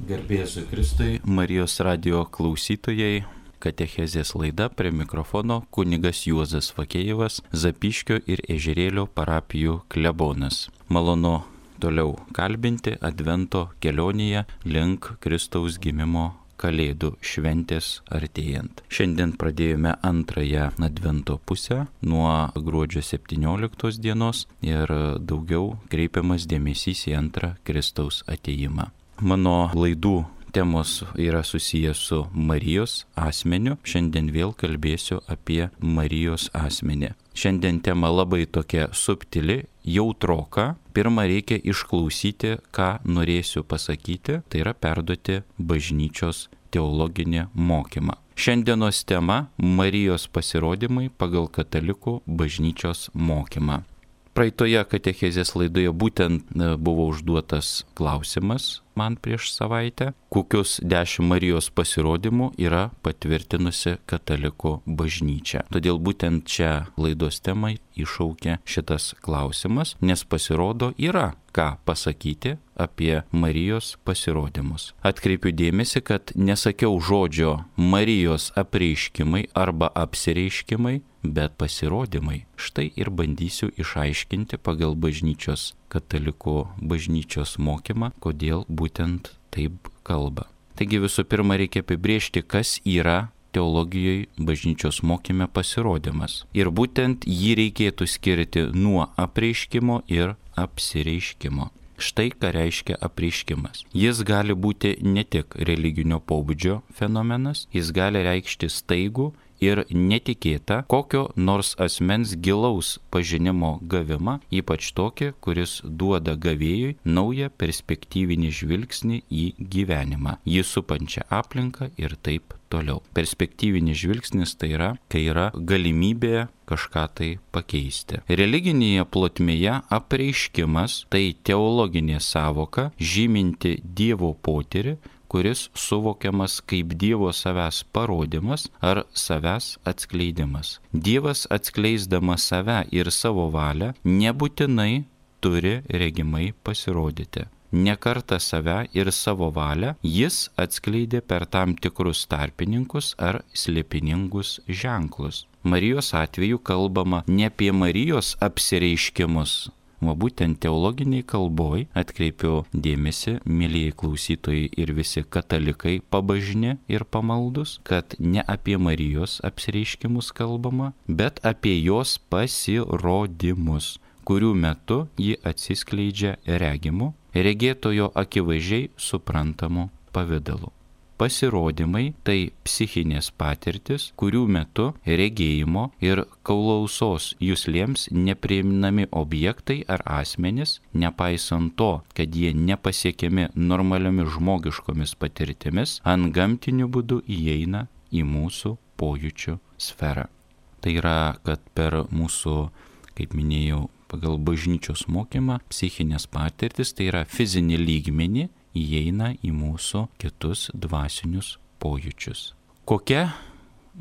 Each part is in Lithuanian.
Garbėsiu Kristui, Marijos radijo klausytojai, katechezės laida, prie mikrofono kunigas Juozas Vakėjevas, Zapyškio ir Ežerėlio parapijų klebonas. Malonu toliau kalbinti Advento kelionėje link Kristaus gimimo Kalėdų šventės artėjant. Šiandien pradėjome antrąją Advento pusę nuo gruodžio 17 dienos ir daugiau kreipiamas dėmesys į antrą Kristaus atėjimą. Mano laidų temos yra susijęs su Marijos asmeniu. Šiandien vėl kalbėsiu apie Marijos asmenį. Šiandien tema labai tokia subtili, jautroka. Pirma, reikia išklausyti, ką norėsiu pasakyti, tai yra perduoti bažnyčios teologinį mokymą. Šiandienos tema – Marijos pasirodymai pagal katalikų bažnyčios mokymą. Praeitoje katechezės laidoje būtent buvo užduotas klausimas man prieš savaitę, kokius 10 Marijos pasirodymų yra patvirtinusi katalikų bažnyčia. Todėl būtent čia laidos temai iššaukė šitas klausimas, nes pasirodo yra ką pasakyti apie Marijos pasirodymus. Atkreipiu dėmesį, kad nesakiau žodžio Marijos apreiškimai arba apsireiškimai, bet pasirodymai. Štai ir bandysiu išaiškinti pagal bažnyčios, katalikų bažnyčios mokymą, kodėl būtent taip kalba. Taigi visų pirma reikia apibrėžti, kas yra teologijoje bažnyčios mokyme pasirodymas. Ir būtent jį reikėtų skirti nuo apreiškimo ir apsireiškimo. Štai ką reiškia apreiškimas. Jis gali būti ne tik religinio pobūdžio fenomenas, jis gali reikšti staigų ir netikėtą kokio nors asmens gilaus pažinimo gavimą, ypač tokį, kuris duoda gavėjui naują perspektyvinį žvilgsnį į gyvenimą, jį supančią aplinką ir taip toliau. Perspektyvinis žvilgsnis tai yra, kai yra galimybė kažką tai pakeisti. Religinėje plotmėje apreiškimas tai teologinė sąvoka žyminti Dievo potyrį, kuris suvokiamas kaip Dievo savęs parodymas ar savęs atskleidimas. Dievas atskleisdamas save ir savo valią nebūtinai turi regimai pasirodyti. Ne kartą save ir savo valią jis atskleidė per tam tikrus tarpininkus ar slėpiningus ženklus. Marijos atveju kalbama ne apie Marijos apsireiškimus, o būtent teologiniai kalboj atkreipiu dėmesį, mielieji klausytojai ir visi katalikai pabažni ir pamaldus, kad ne apie Marijos apsireiškimus kalbama, bet apie jos pasirodymus, kurių metu ji atsiskleidžia regimu, regėtojo akivaizdžiai suprantamu pavidalu. Pasirodymai tai psichinės patirtis, kurių metu regėjimo ir klausos juslėms neprieinami objektai ar asmenys, nepaisant to, kad jie nepasiekiami normaliomis žmogiškomis patirtimis, antgamtiniu būdu įeina į mūsų pojūčių sferą. Tai yra, kad per mūsų, kaip minėjau, pagal bažnyčios mokymą, psichinės patirtis, tai yra fizinį lygmenį, įeina į mūsų kitus dvasinius pojūčius. Kokia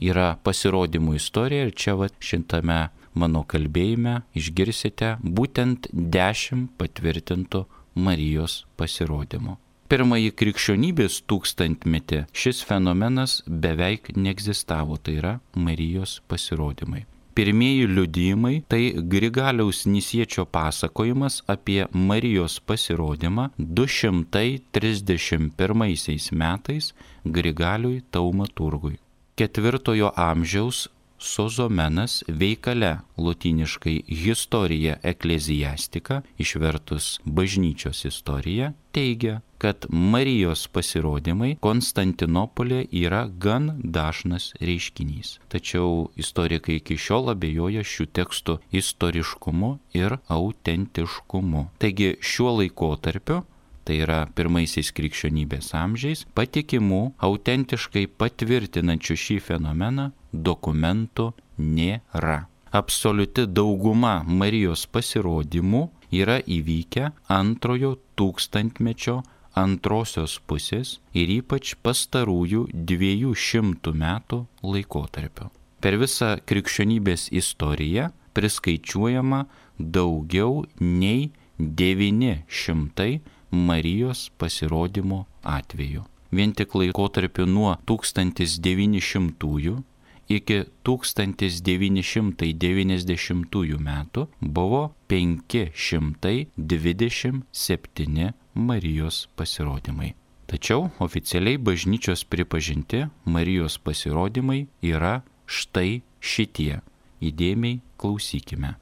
yra pasirodymų istorija ir čia šitame mano kalbėjime išgirsite būtent 10 patvirtintų Marijos pasirodymų. Pirmąjį krikščionybės tūkstantmetį šis fenomenas beveik neegzistavo, tai yra Marijos pasirodymai. Pirmieji liudijimai tai Grigaliaus Nisiečio pasakojimas apie Marijos pasirodymą 231 metais Grigaliui Taumaturgui. 4 amžiaus Sozomenas veikale lotyniškai Historia Ecclesiastica, išvertus bažnyčios istorija, teigia, kad Marijos pasirodymai Konstantinopolė yra gan dažnas reiškinys. Tačiau istorikai iki šiol abejoja šių tekstų istoriškumu ir autentiškumu. Taigi šiuo laikotarpiu, tai yra pirmaisiais krikščionybės amžiais, patikimų, autentiškai patvirtinančių šį fenomeną dokumentų nėra. Absoliuti dauguma Marijos pasirodymų yra įvykę antrojo tūkstantmečio antrosios pusės ir ypač pastarųjų 200 metų laikotarpio. Per visą krikščionybės istoriją priskaičiuojama daugiau nei 900 Marijos pasirodymo atveju. Vien tik laikotarpiu nuo 1900 iki 1990 metų buvo 527 Marijos pasirodymai. Tačiau oficialiai bažnyčios pripažinti Marijos pasirodymai yra štai šitie. Įdėmiai klausykime.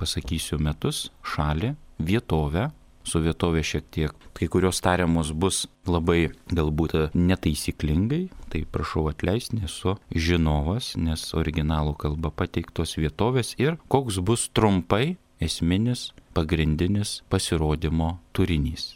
Pasakysiu metus, šalį, vietovę. Su vietovė šiek tiek, kai kurios tariamos bus labai galbūt netaisyklingai, tai prašau atleisti, nesu žinovas, nes originalų kalba pateiktos vietovės ir koks bus trumpai esminis, pagrindinis pasirodymo turinys.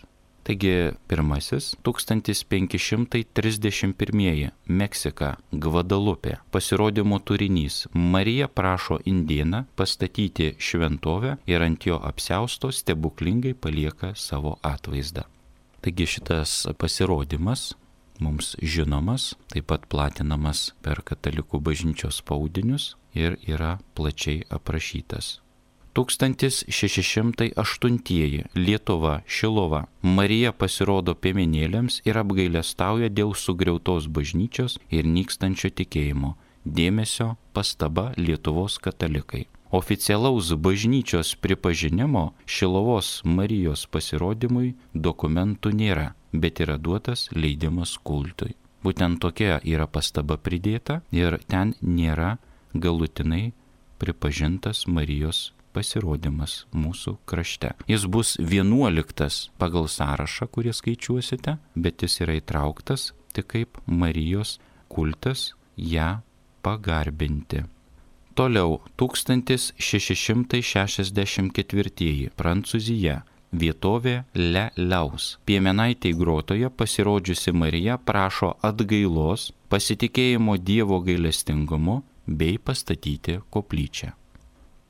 Taigi pirmasis 1531 Meksika, Gvadalupė. Pasirodymo turinys. Marija prašo indėną pastatyti šventovę ir ant jo apsiausto stebuklingai palieka savo atvaizdą. Taigi šitas pasirodymas mums žinomas, taip pat platinamas per katalikų bažnyčios spaudinius ir yra plačiai aprašytas. 1608 Lietuva, Šiluva. Marija pasirodo piemenėliams ir apgailestauja dėl sugriautos bažnyčios ir nykstančio tikėjimo. Dėmesio pastaba Lietuvos katalikai. Oficialaus bažnyčios pripažinimo Šiluvos Marijos pasirodymui dokumentų nėra, bet yra duotas leidimas kultui. Būtent tokia yra pastaba pridėta ir ten nėra galutinai pripažintas Marijos pasirodymas mūsų krašte. Jis bus 11 pagal sąrašą, kurį skaičiuosite, bet jis yra įtrauktas tik kaip Marijos kultas ją pagarbinti. Toliau 1664 Prancūzija. Vietovė Le Laus. Piemenaitei grotoje pasirodžiusi Marija prašo atgailos, pasitikėjimo Dievo gailestingumu bei pastatyti koplyčią.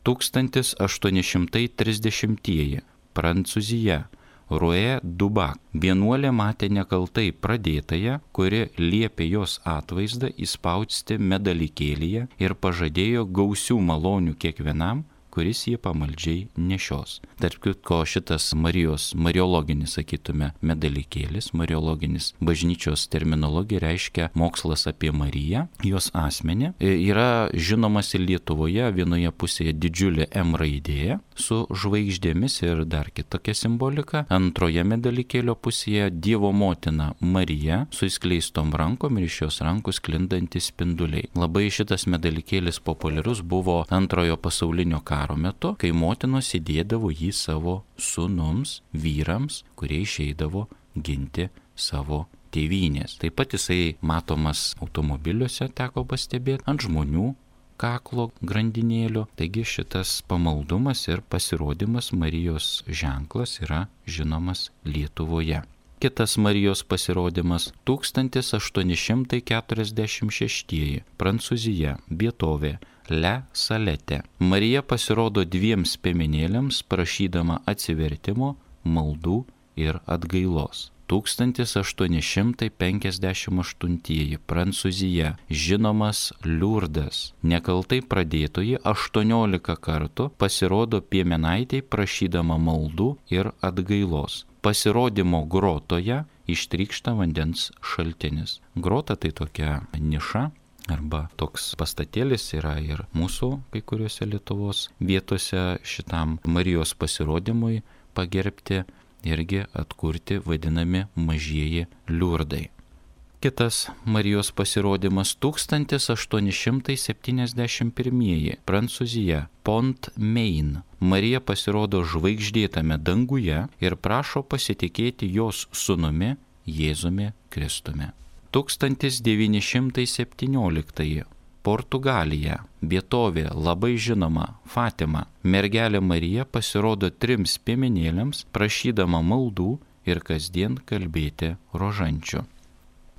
1830 Prancūzija. Roe Dubak. Vienuolė matė nekaltai pradėtąją, kuri liepė jos atvaizdą įspausti medalikėlyje ir pažadėjo gausių malonių kiekvienam, kuris jį pamaldžiai nešios. Tarp kitko šitas Marijos, mariologinis, sakytume, medalikėlis, mariologinis bažnyčios terminologija reiškia mokslas apie Mariją, jos asmenį. Yra žinomas ir Lietuvoje, vienoje pusėje didžiulė M raidė su žvaigždėmis ir dar kitokia simbolika. Antroje medalikėlio pusėje Dievo motina Marija su įskleistom rankom ir iš jos rankų sklindantys spinduliai. Labai šitas medalikėlis populiarus buvo Antrojo pasaulinio karo metu, kai motinos įdėdavo jį savo sūnums, vyrams, kurie išeidavo ginti savo tėvynės. Taip pat jisai matomas automobiliuose, teko pastebėti, ant žmonių kaklo grandinėlio. Taigi šitas pamaldumas ir pasirodymas Marijos ženklas yra žinomas Lietuvoje. Kitas Marijos pasirodymas 1846 Prancūzija, vietovė Le Salette. Marija pasirodo dviems piemenėliams prašydama atsivertimo, maldų ir atgailos. 1858 Prancūzija, žinomas Liurdas. Nekaltai pradėtoji 18 kartų pasirodo piemenaitei prašydama maldų ir atgailos. Pasirodymo grotoje ištrykšta vandens šaltinis. Grota tai tokia niša arba toks pastatėlis yra ir mūsų kai kuriuose Lietuvos vietose šitam Marijos pasirodymui pagerbti irgi atkurti vadinami mažieji liurdai. Kitas Marijos pasirodymas 1871 Prancūzija, Pont-Main. Marija pasirodo žvaigždėtame danguje ir prašo pasitikėti jos sūnumi Jėzumi Kristumi. 1917 Portugalija, vietovė labai žinoma Fatima. Mergelė Marija pasirodo trims piemenėliams prašydama maldų ir kasdien kalbėti rožančių.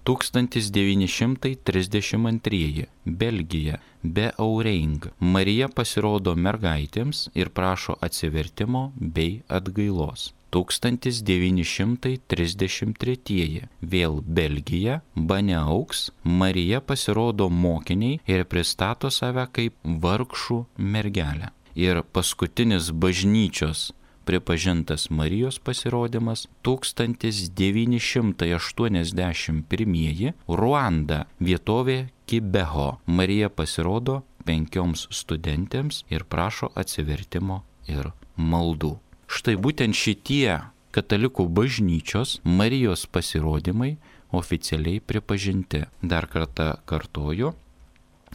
1932 Belgija, Beauring. Marija pasirodo mergaitėms ir prašo atsivertimo bei atgailos. 1933 vėl Belgija, Baneauks. Marija pasirodo mokiniai ir pristato save kaip vargšų mergelę. Ir paskutinis bažnyčios pripažintas Marijos pasirodymas 1981 Ruanda, vietovė Kibeho. Marija pasirodo 5 studentėms ir prašo atsivertimo ir maldų. Štai būtent šitie katalikų bažnyčios Marijos pasirodymai oficialiai pripažinti. Dar kartą kartoju,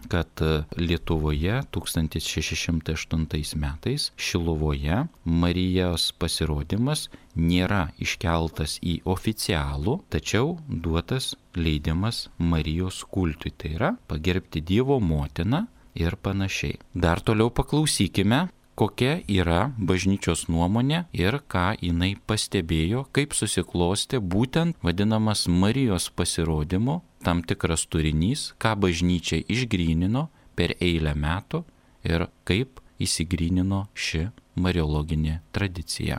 kad Lietuvoje 1608 metais Šiluvoje Marijos pasirodymas nėra iškeltas į oficialų, tačiau duotas leidimas Marijos kultui, tai yra pagerbti Dievo motiną ir panašiai. Dar toliau paklausykime, kokia yra bažnyčios nuomonė ir ką jinai pastebėjo, kaip susiklostė būtent vadinamas Marijos pasirodymo tam tikras turinys, ką bažnyčia išgrynino per eilę metų ir kaip įsigrynino ši mariologinė tradicija.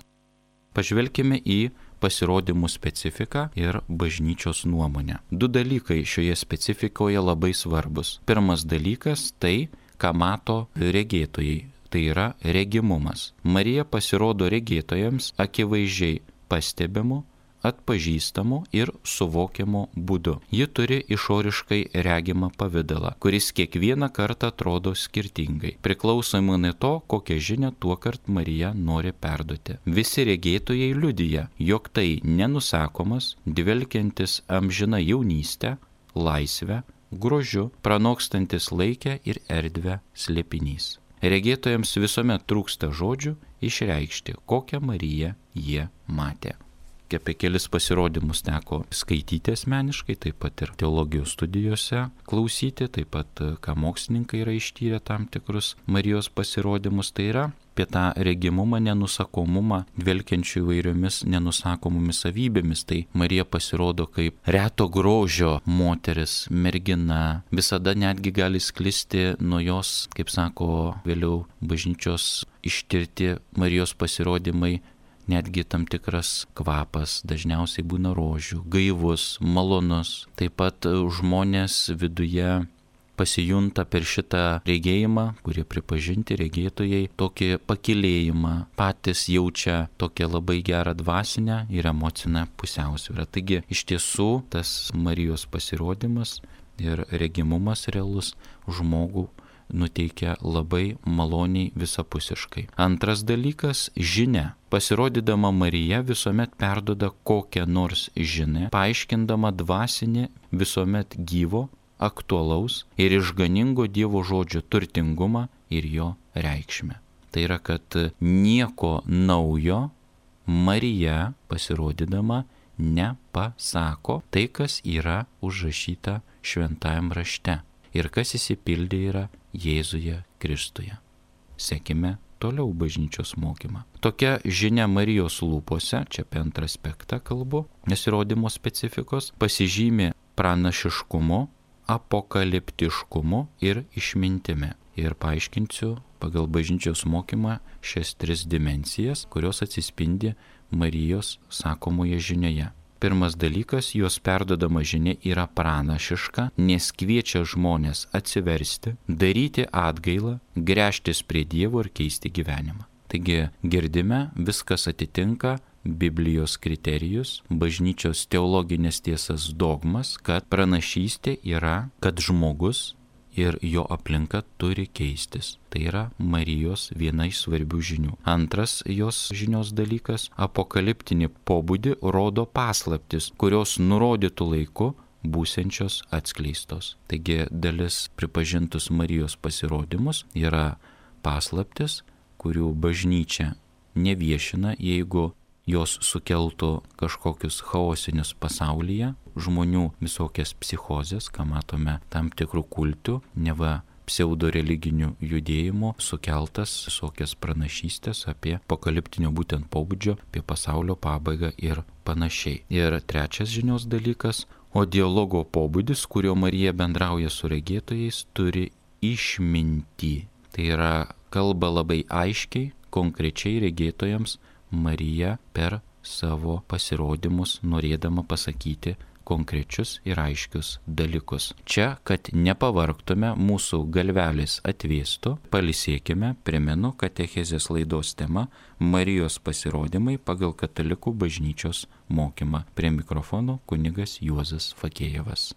Pažvelkime į pasirodymų specifiką ir bažnyčios nuomonę. 2 dalykai šioje specifikoje labai svarbus. Pirmas dalykas tai, ką mato regėtojai. Tai yra regimumas. Marija pasirodo regėtojams akivaizdžiai pastebimu, atpažįstamu ir suvokiamu būdu. Ji turi išoriškai regimą pavidalą, kuris kiekvieną kartą atrodo skirtingai, priklausomai nuo to, kokią žinią tuokart Marija nori perduoti. Visi regėtojai liudija, jog tai nenusakomas, dvelkiantis amžina jaunystę, laisvę, grožiu, pranokstantis laikę ir erdvę slėpinys. Regėtojams visuomet trūksta žodžių išreikšti, kokią Mariją jie matė. Apie kelis pasirodymus teko skaityti asmeniškai, taip pat ir teologijos studijose klausyti, taip pat ką mokslininkai yra ištyrę tam tikrus Marijos pasirodymus, tai yra apie tą regimumą, nenusakomumą, dvelkiančių įvairiomis nenusakomomis savybėmis. Tai Marija pasirodo kaip reto grožio moteris, mergina, visada netgi gali sklisti nuo jos, kaip sako vėliau bažnyčios ištirti Marijos pasirodymai, netgi tam tikras kvapas, dažniausiai būna rožių, gaivus, malonus. Taip pat žmonės viduje pasijunta per šitą regėjimą, kurie pripažinti regėtojai, tokį pakilėjimą, patys jaučia tokią labai gerą dvasinę ir emocinę pusiausvyrą. Taigi iš tiesų tas Marijos pasirodymas ir regimumas realus žmogų nuteikia labai maloniai visapusiškai. Antras dalykas - žinia. Pasirodydama Marija visuomet perduoda kokią nors žinią, paaiškindama dvasinį visuomet gyvo, aktualaus ir išganingo Dievo žodžio turtingumą ir jo reikšmę. Tai yra, kad nieko naujo Marija pasirodydama nepasako tai, kas yra užrašyta šventajam rašte ir kas įsipildė yra Jėzuje Kristuje. Sekime toliau bažnyčios mokymą. Tokia žinia Marijos lūpose, čia apie antrą aspektą kalbu, nesirodymo specifikos, pasižymi pranašiškumu, apokaliptiškumu ir išmintimi. Ir paaiškinsiu pagal bažnyčios mokymą šias 3 dimensijas, kurios atsispindi Marijos sakomoje žinioje. Pirmas dalykas, jos perdodama žinia yra pranašiška, nes kviečia žmonės atsiversti, daryti atgailą, gręžtis prie Dievo ir keisti gyvenimą. Taigi girdime, viskas atitinka Biblijos kriterijus, bažnyčios teologinės tiesas dogmas, kad pranašystė yra, kad žmogus ir jo aplinka turi keistis. Tai yra Marijos viena iš svarbių žinių. Antras jos žinios dalykas - apokaliptinį pobūdį rodo paslaptis, kurios nurodytų laiku būsiančios atskleistos. Taigi dalis pripažintus Marijos pasirodymus yra paslaptis, kurių bažnyčia neviešina, jeigu jos sukeltų kažkokius chaosinius pasaulyje, žmonių visokias psichozes, ką matome tam tikrų kultų, neva pseudo religinių judėjimų sukeltas visokias pranašystės apie apokaliptinio būtent pobūdžio, apie pasaulio pabaigą ir panašiai. Ir trečias žinios dalykas, o dialogo pobūdis, kurio Marija bendrauja su regėtojais, turi išmintį. Tai yra kalba labai aiškiai, konkrečiai regėtojams Marija per savo pasirodymus norėdama pasakyti, konkrečius ir aiškius dalykus. Čia, kad nepavargtume, mūsų galvelis atvėstų, palisėkime, primenu, katechezės laidos tema Marijos pasirodymai pagal katalikų bažnyčios mokymą. Prie mikrofono kunigas Juozas Fakėjevas.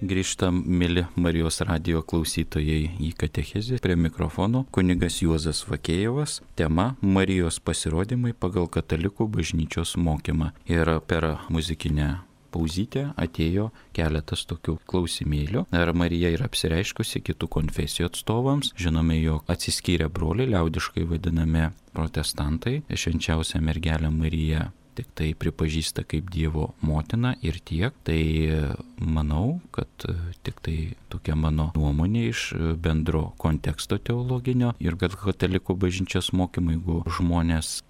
Grįžtam, mili Marijos radijo klausytojai, į katechezę. Prie mikrofono kunigas Juozas Fakėjevas. Tema Marijos pasirodymai pagal katalikų bažnyčios mokymą. Ir per muzikinę pauzytę atėjo keletas tokių klausimėlių. Ar Marija yra apsireiškusi kitų konfesijų atstovams? Žinome, jog atsiskyrę broliai, liaudiškai vadinami protestantai, švenčiausią mergelę Mariją tik tai pripažįsta kaip Dievo motina ir tiek. Tai manau, kad tik tai tokia mano nuomonė iš bendro konteksto teologinio ir kad katalikų bažnyčios mokymai, jeigu žmonės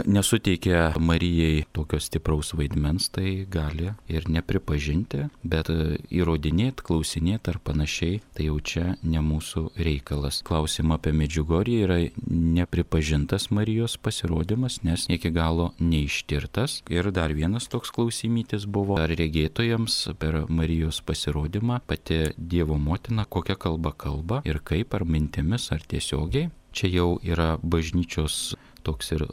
nesuteikia Marijai tokio stipraus vaidmens, tai gali ir nepripažinti, bet įrodinėti, klausinėti ar panašiai, tai jau čia ne mūsų reikalas. Klausimą apie Medžiugorję yra nepripažintas Marijos pasirodymas, nes iki galo neištirtas. Ir dar vienas toks klausimytis buvo, ar regėtojams per Marijos pasirodymą pati Dievo motina kokią kalbą kalba ir kaip, ar mintimis, ar tiesiogiai. Čia jau yra bažnyčios toks ir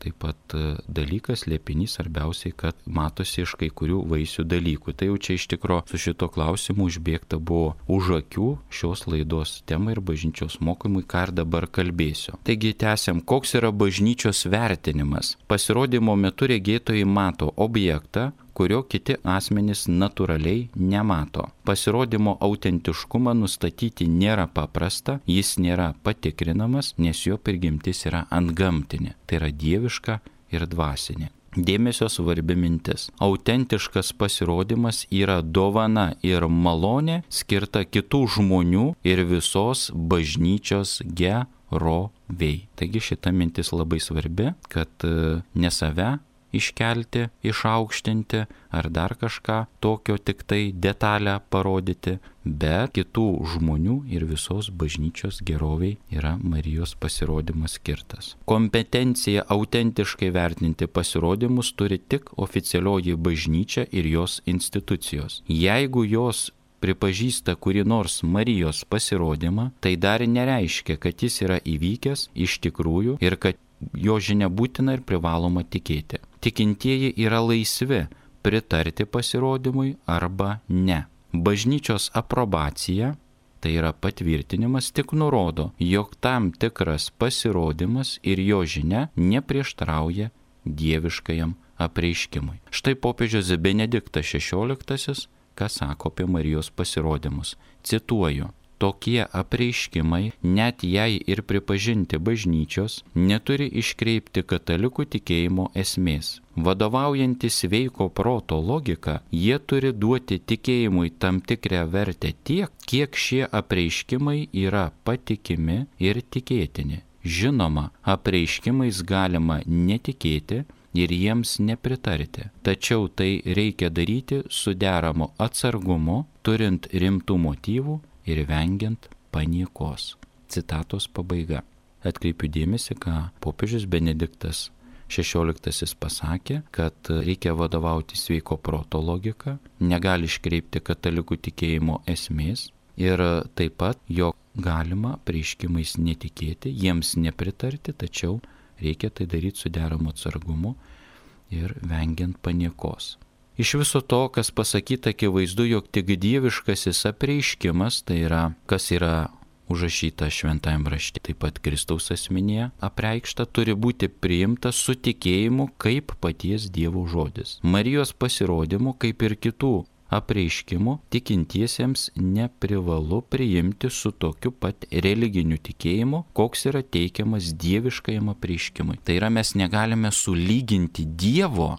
taip pat dalykas, liepinys, svarbiausiai, kad matosi iš kai kurių vaisių dalykų. Tai jau čia iš tikro su šito klausimu užbėgta buvo už akių šios laidos temai ir bažnyčios mokymui, ką ir dabar kalbėsiu. Taigi tęsiam, koks yra bažnyčios vertinimas. Pasirodymo metu regėtojai mato objektą, kurio kiti asmenys natūraliai nemato. Pasirodymo autentiškumą nustatyti nėra paprasta, jis nėra patikrinamas, nes jo prigimtis yra antgamtinė, tai yra dieviška ir dvasinė. Dėmesio svarbi mintis. Autentiškas pasirodymas yra dovana ir malonė skirta kitų žmonių ir visos bažnyčios gerovei. Taigi šita mintis labai svarbi, kad ne save iškelti, išaukštinti ar dar kažką tokio tik tai detalę parodyti, bet kitų žmonių ir visos bažnyčios geroviai yra Marijos pasirodymas skirtas. Kompetencija autentiškai vertinti pasirodymus turi tik oficialioji bažnyčia ir jos institucijos. Jeigu jos pripažįsta kuri nors Marijos pasirodymą, tai dar nereiškia, kad jis yra įvykęs iš tikrųjų ir kad jo žinia būtina ir privaloma tikėti. Tikintieji yra laisvi pritarti pasirodymui arba ne. Bažnyčios aprobacija, tai yra patvirtinimas, tik nurodo, jog tam tikras pasirodymas ir jo žinia neprieštrauja dieviškajam apreiškimui. Štai popiežius Benediktas XVI, ką sako apie Marijos pasirodymus. Cituoju. Tokie apreiškimai, net jei ir pripažinti bažnyčios, neturi iškreipti katalikų tikėjimo esmės. Vadovaujantis sveiko proto logika, jie turi duoti tikėjimui tam tikrą vertę tiek, kiek šie apreiškimai yra patikimi ir tikėtini. Žinoma, apreiškimais galima netikėti ir jiems nepritarti. Tačiau tai reikia daryti su deramu atsargumu, turint rimtų motyvų ir vengiant paniekos. Citatos pabaiga. Atkreipiu dėmesį, ką popiežius Benediktas XVI pasakė, kad reikia vadovauti sveiko proto logika, negali iškreipti katalikų tikėjimo esmės ir taip pat, jog galima apreiškimais netikėti, jiems nepritarti, tačiau reikia tai daryti su deramu atsargumu ir vengiant paniekos. Iš viso to, kas pasakyta, akivaizdu, jog tik dieviškasis apreiškimas, tai yra, kas yra užrašyta šventajame rašte, taip pat Kristaus asmenyje apreikšta, turi būti priimtas su tikėjimu kaip paties Dievo žodis. Marijos pasirodymu, kaip ir kitų apreiškimų, tikintiesiems neprivalu priimti su tokiu pat religiniu tikėjimu, koks yra teikiamas dieviškajam apreiškimui. Tai yra, mes negalime sulyginti Dievo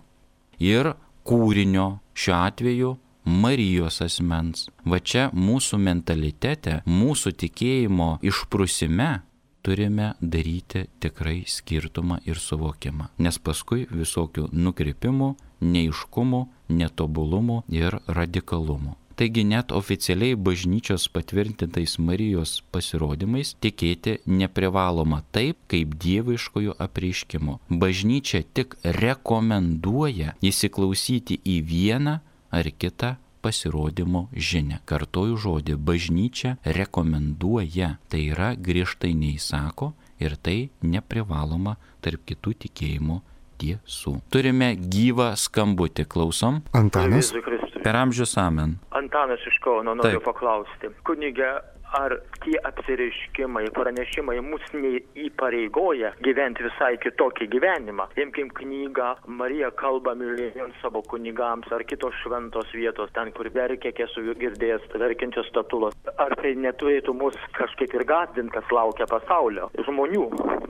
ir kūrinio, šiuo atveju Marijos asmens. Va čia mūsų mentalitete, mūsų tikėjimo išprusime turime daryti tikrai skirtumą ir suvokimą. Nes paskui visokių nukrypimų, neaiškumų, netobulumų ir radikalumų. Taigi net oficialiai bažnyčios patvirtintais Marijos pasirodymais tikėti neprivaloma taip, kaip dieviškojų apreiškimų. Bažnyčia tik rekomenduoja įsiklausyti į vieną ar kitą pasirodymo žinią. Kartoju žodį, bažnyčia rekomenduoja, tai yra griežtai neįsako ir tai neprivaloma tarp kitų tikėjimų tiesų. Turime gyvą skambutį, klausom. Antanas. Per amžius amen. Antanas iš Kauno, noriu paklausti. Kunige, ar tie apsireiškimai, pranešimai mus neįpareigoja gyventi visai kitokį gyvenimą? Imkim knygą Marija kalba mylimiems savo kunigams ar kitos šventos vietos, ten, kur verkia, kiek esu girdėjęs, verkiančios statulos. Ar tai neturėtų mus kažkaip ir gąsdinti, kas laukia pasaulio? Žmonių,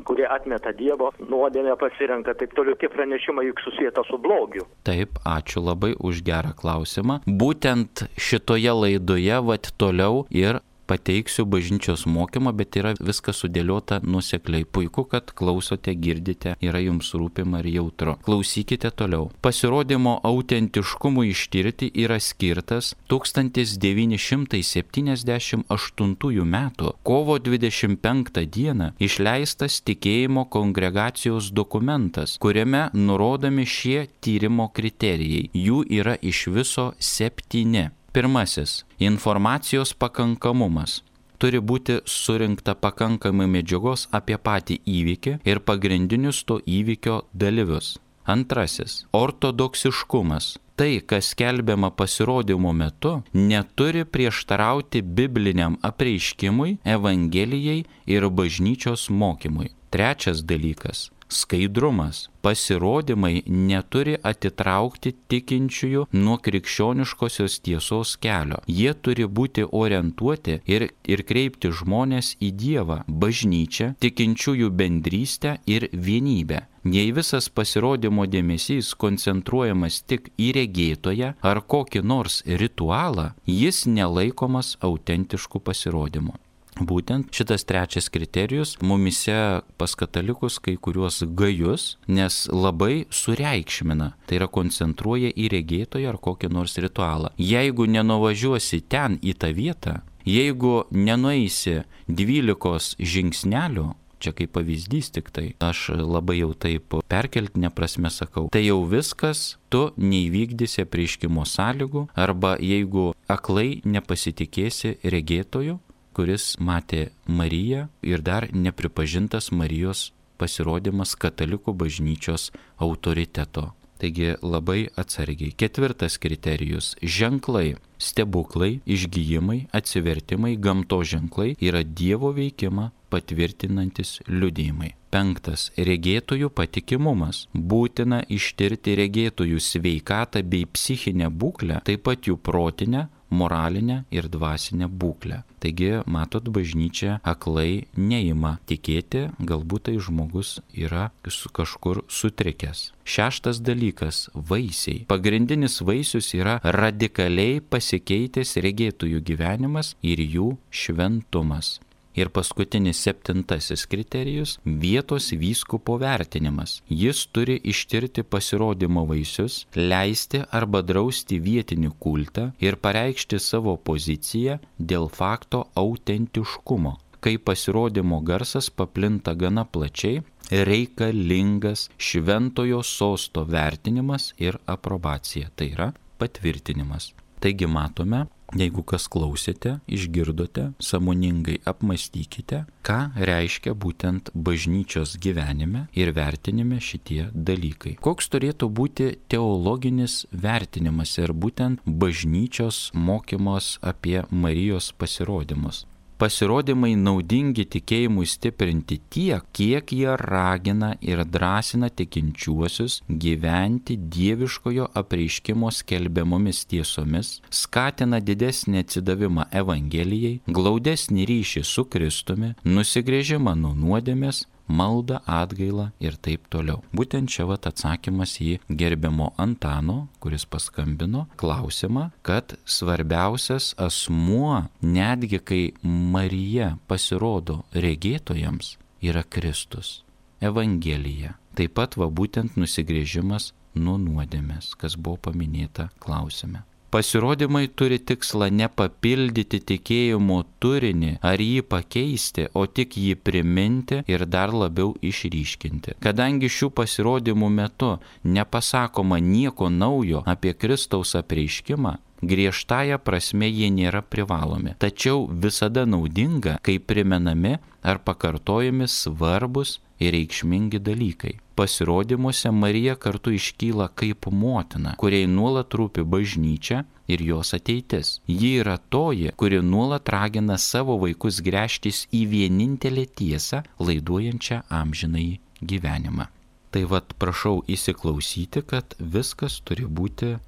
kurie atmeta Dievo, nuodėmę pasirenka, taip toliau, tie pranešimai juk susijęta su blogiu. Taip, ačiū labai už gerą klausimą. Būtent šitoje laidoje toliau ir pateiksiu bažnyčios mokymą, bet yra viskas sudėliota nuosekliai. Puiku, kad klausote, girdite, yra jums rūpima ir jautru. Klausykite toliau. Pasirodymo autentiškumui ištirti yra skirtas 1978 metų kovo 25 dieną išleistas tikėjimo kongregacijos dokumentas, kuriame nurodomi šie tyrimo kriterijai. Jų yra iš viso 7. Pirmasis – informacijos pakankamumas. turi būti surinkta pakankamai medžiagos apie patį įvykį ir pagrindinius to įvykio dalyvius. Antrasis – ortodoksiškumas. Tai, kas skelbiama pasirodymo metu, neturi prieštarauti bibliniam apreiškimui, Evangelijai ir bažnyčios mokymui. Trečias dalykas – skaidrumas. Pasirodymai neturi atitraukti tikinčiųjų nuo krikščioniškosios tiesos kelio. Jie turi būti orientuoti ir kreipti žmonės į Dievą, bažnyčią, tikinčiųjų bendrystę ir vienybę. Jei visas pasirodymo dėmesys koncentruojamas tik į regėtoją ar kokį nors ritualą, jis nelaikomas autentišku pasirodymu. Būtent šitas trečias kriterijus mumise pas katalikus kai kuriuos gajus, nes labai sureikšmina, tai yra koncentruoja į regėtoją ar kokį nors ritualą. Jeigu nenuvažiuosi ten į tą vietą, jeigu nenueisi 12 žingsnelių, čia kaip pavyzdys tik tai, aš labai jau taip perkeltinė prasme sakau, tai jau viskas, tu neįvykdysi apreiškimo sąlygų, arba jeigu aklai nepasitikėsi regėtoju, kuris matė Mariją ir dar nepripažintas Marijos pasirodymas katalikų bažnyčios autoriteto. Taigi labai atsargiai. Ketvirtas kriterijus – ženklai, stebuklai, išgijimai, atsivertimai, gamtos ženklai yra Dievo veikimą patvirtinantis liudijimai. Penktas – regėtojų patikimumas. Būtina ištirti regėtojų sveikatą bei psichinę būklę, taip pat jų protinę, moralinę ir dvasinę būklę. Taigi, matot, bažnyčia aklai neima tikėti, galbūt tai žmogus yra kažkur sutrikęs. Šeštas dalykas – vaisiai. Pagrindinis vaisius yra radikaliai pasikeitęs regėtojų gyvenimas ir jų šventumas. Ir paskutinis septintasis kriterijus – vietos vyskupo vertinimas. Jis turi ištirti pasirodymo vaisius, leisti arba drausti vietinį kultą ir pareikšti savo poziciją dėl fakto autentiškumo. Kai pasirodymo garsas paplinta gana plačiai, reikalingas šventojo sosto vertinimas ir aprobacija, tai yra patvirtinimas. Taigi matome, jeigu kas klausėte, išgirdote, sąmoningai apmąstykite, ką reiškia būtent bažnyčios gyvenime ir vertinime šitie dalykai. Koks turėtų būti teologinis vertinimas ir būtent bažnyčios mokymos apie Marijos pasirodymus. Pasirodymai naudingi tikėjimui stiprinti tiek, kiek jie ragina ir drąsina tikinčiuosius gyventi dieviškojo apreiškimo skelbiamomis tiesomis, skatina didesnį atsidavimą Evangelijai, glaudesnį ryšį su Kristumi, nusigręžimą nuo nuodėmės, maldą, atgailą ir taip toliau. Būtent čia atsakymas į gerbiamo Antano, kuris paskambino, klausimą, kad svarbiausias asmuo, netgi kai Marija pasirodo regėtojams, yra Kristus, Evangelija. Taip pat būtent nusigręžimas nuo nuodėmės, kas buvo paminėta klausime. Pasirodymai turi tikslą ne papildyti tikėjimo turinį ar jį pakeisti, o tik jį priminti ir dar labiau išryškinti. Kadangi šių pasirodymų metu nepasakoma nieko naujo apie Kristaus apreiškimą, griežtąja prasme jie nėra privalomi. Tačiau visada naudinga, kai primenami ar pakartojami svarbus ir reikšmingi dalykai. Pasirodymuose Marija kartu iškyla kaip motina, kuriai nuolat rūpi bažnyčia ir jos ateitis. Ji yra toji, kuri nuolat ragina savo vaikus gręžtis į vienintelę tiesą, laiduojančią amžinąjį gyvenimą. Tai prašau įsiklausyti, kad viskas turi būti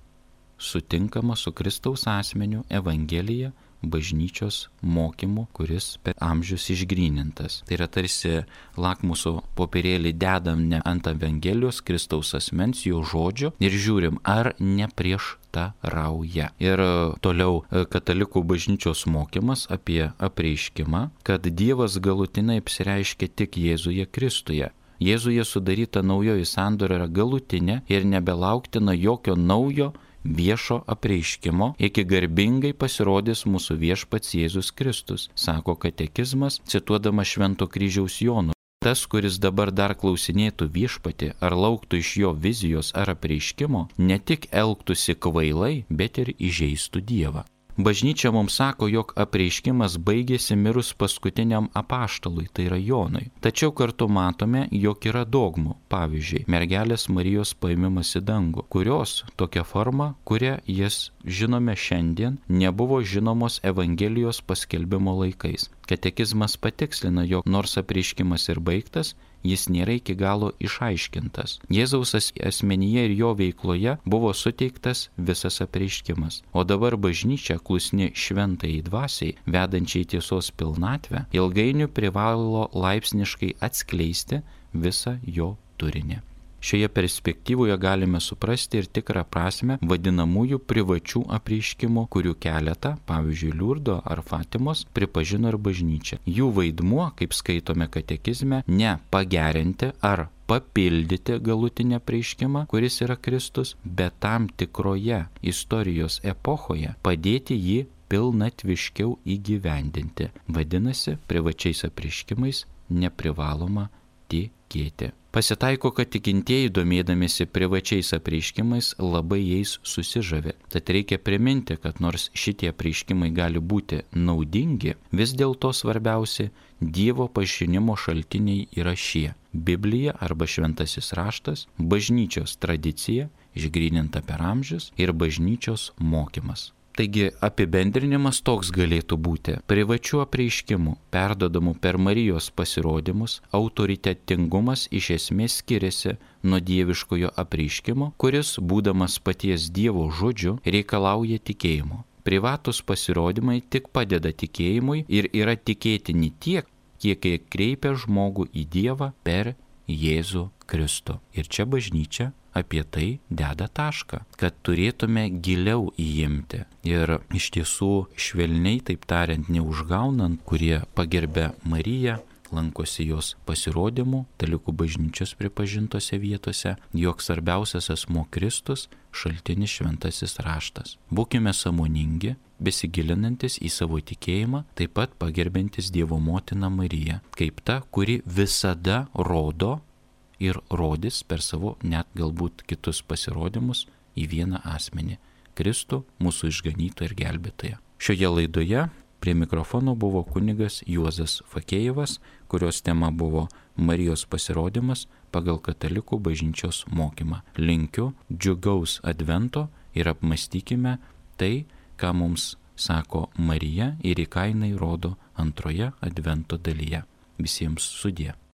sutinkama su Kristaus asmeniu, Evangelija, bažnyčios mokymu, kuris per amžius išgrynintas. Tai yra tarsi lakmuso popierėlį dedam ne ant Evangelijos, Kristaus asmens, jo žodžio ir žiūrim, ar neprieštarauja. Ir toliau katalikų bažnyčios mokymas apie apreiškimą, kad Dievas galutinai apsireiškia tik Jėzuje Kristuje. Jėzuje sudaryta naujoji sandora yra galutinė ir nebelauktina jokio naujo viešo apreiškimo, iki garbingai pasirodys mūsų viešpats Jėzus Kristus, sako katekizmas, cituodamas Švento kryžiaus Jono. Tas, kuris dabar dar klausinėtų viešpatį ar lauktų iš jo vizijos ar apreiškimo, ne tik elgtųsi kvailai, bet ir įžeistų Dievą. Bažnyčia mums sako, jog apreiškimas baigėsi mirus paskutiniam apaštalui, tai yra Jonui. Tačiau kartu matome, jog yra dogmų, pavyzdžiui, mergelės Marijos paėmimas į dangų, kurios tokia forma, kurią jas žinome šiandien, nebuvo žinomos Evangelijos paskelbimo laikais. Katekizmas patikslina, jog nors apreiškimas ir baigtas, jis nėra iki galo išaiškintas. Jėzaus asmenyje ir jo veikloje buvo suteiktas visas apreiškimas. O dabar bažnyčia, klusni šventajai dvasiai, vedančiai tiesos pilnatvę, ilgainiui privalo laipsniškai atskleisti visą jo turinį. Šioje perspektyvoje galime suprasti ir tikrą prasme vadinamųjų privačių apreiškimų, kurių keletą, pavyzdžiui, Liurdo ar Fatimos, pripažino ir bažnyčia. Jų vaidmuo, kaip skaitome katekizme, ne pagerinti ar papildyti galutinį apreiškimą, kuris yra Kristus, bet tam tikroje istorijos epochoje padėti jį pilnatviškiau įgyvendinti. Vadinasi, privačiais apreiškimais neprivaloma tikėti. Pasitaiko, kad tikintieji, domėdamėsi privačiais apreiškimais, labai jais susižavi. Tad reikia priminti, kad nors šitie apreiškimai gali būti naudingi, vis dėlto svarbiausi Dievo pažinimo šaltiniai yra šie: Biblija arba šventasis raštas, bažnyčios tradicija, išgryninta per amžius, ir bažnyčios mokymas. Taigi apibendrinimas toks galėtų būti: privačių apreiškimų, perdodamų per Marijos pasirodymus, autoritetingumas iš esmės skiriasi nuo dieviškojo apreiškimo, kuris, būdamas paties Dievo žodžiu, reikalauja tikėjimo. Privatus pasirodymai tik padeda tikėjimui ir yra tikėtini tiek, kiek kreipia žmogų į Dievą per Jėzų Kristų. Ir čia bažnyčia apie tai deda tašką, kad turėtume giliau įimti. Ir iš tiesų švelniai, taip tariant, neužgaunant, kurie pagerbė Mariją, lankosi jos pasirodymų, Katalikų bažnyčios pripažintose vietose, jog svarbiausias asmuo Kristus, šaltinis šventasis raštas. Būkime sąmoningi, besigilinantis į savo tikėjimą, taip pat pagerbiantis Dievo motiną Mariją, kaip ta, kuri visada rodo ir rodys per savo net galbūt kitus pasirodymus į vieną asmenį – Kristų, mūsų išganytoją ir gelbėtoją. Šioje laidoje prie mikrofono buvo kunigas Juozas Fakėjevas, kurios tema buvo Marijos pasirodymas pagal Katalikų bažnyčios mokymą. Linkiu džiugaus advento ir apmąstykime tai, ką mums sako Marija ir į ką jinai rodo antroje advento dalyje. Visiems sudie.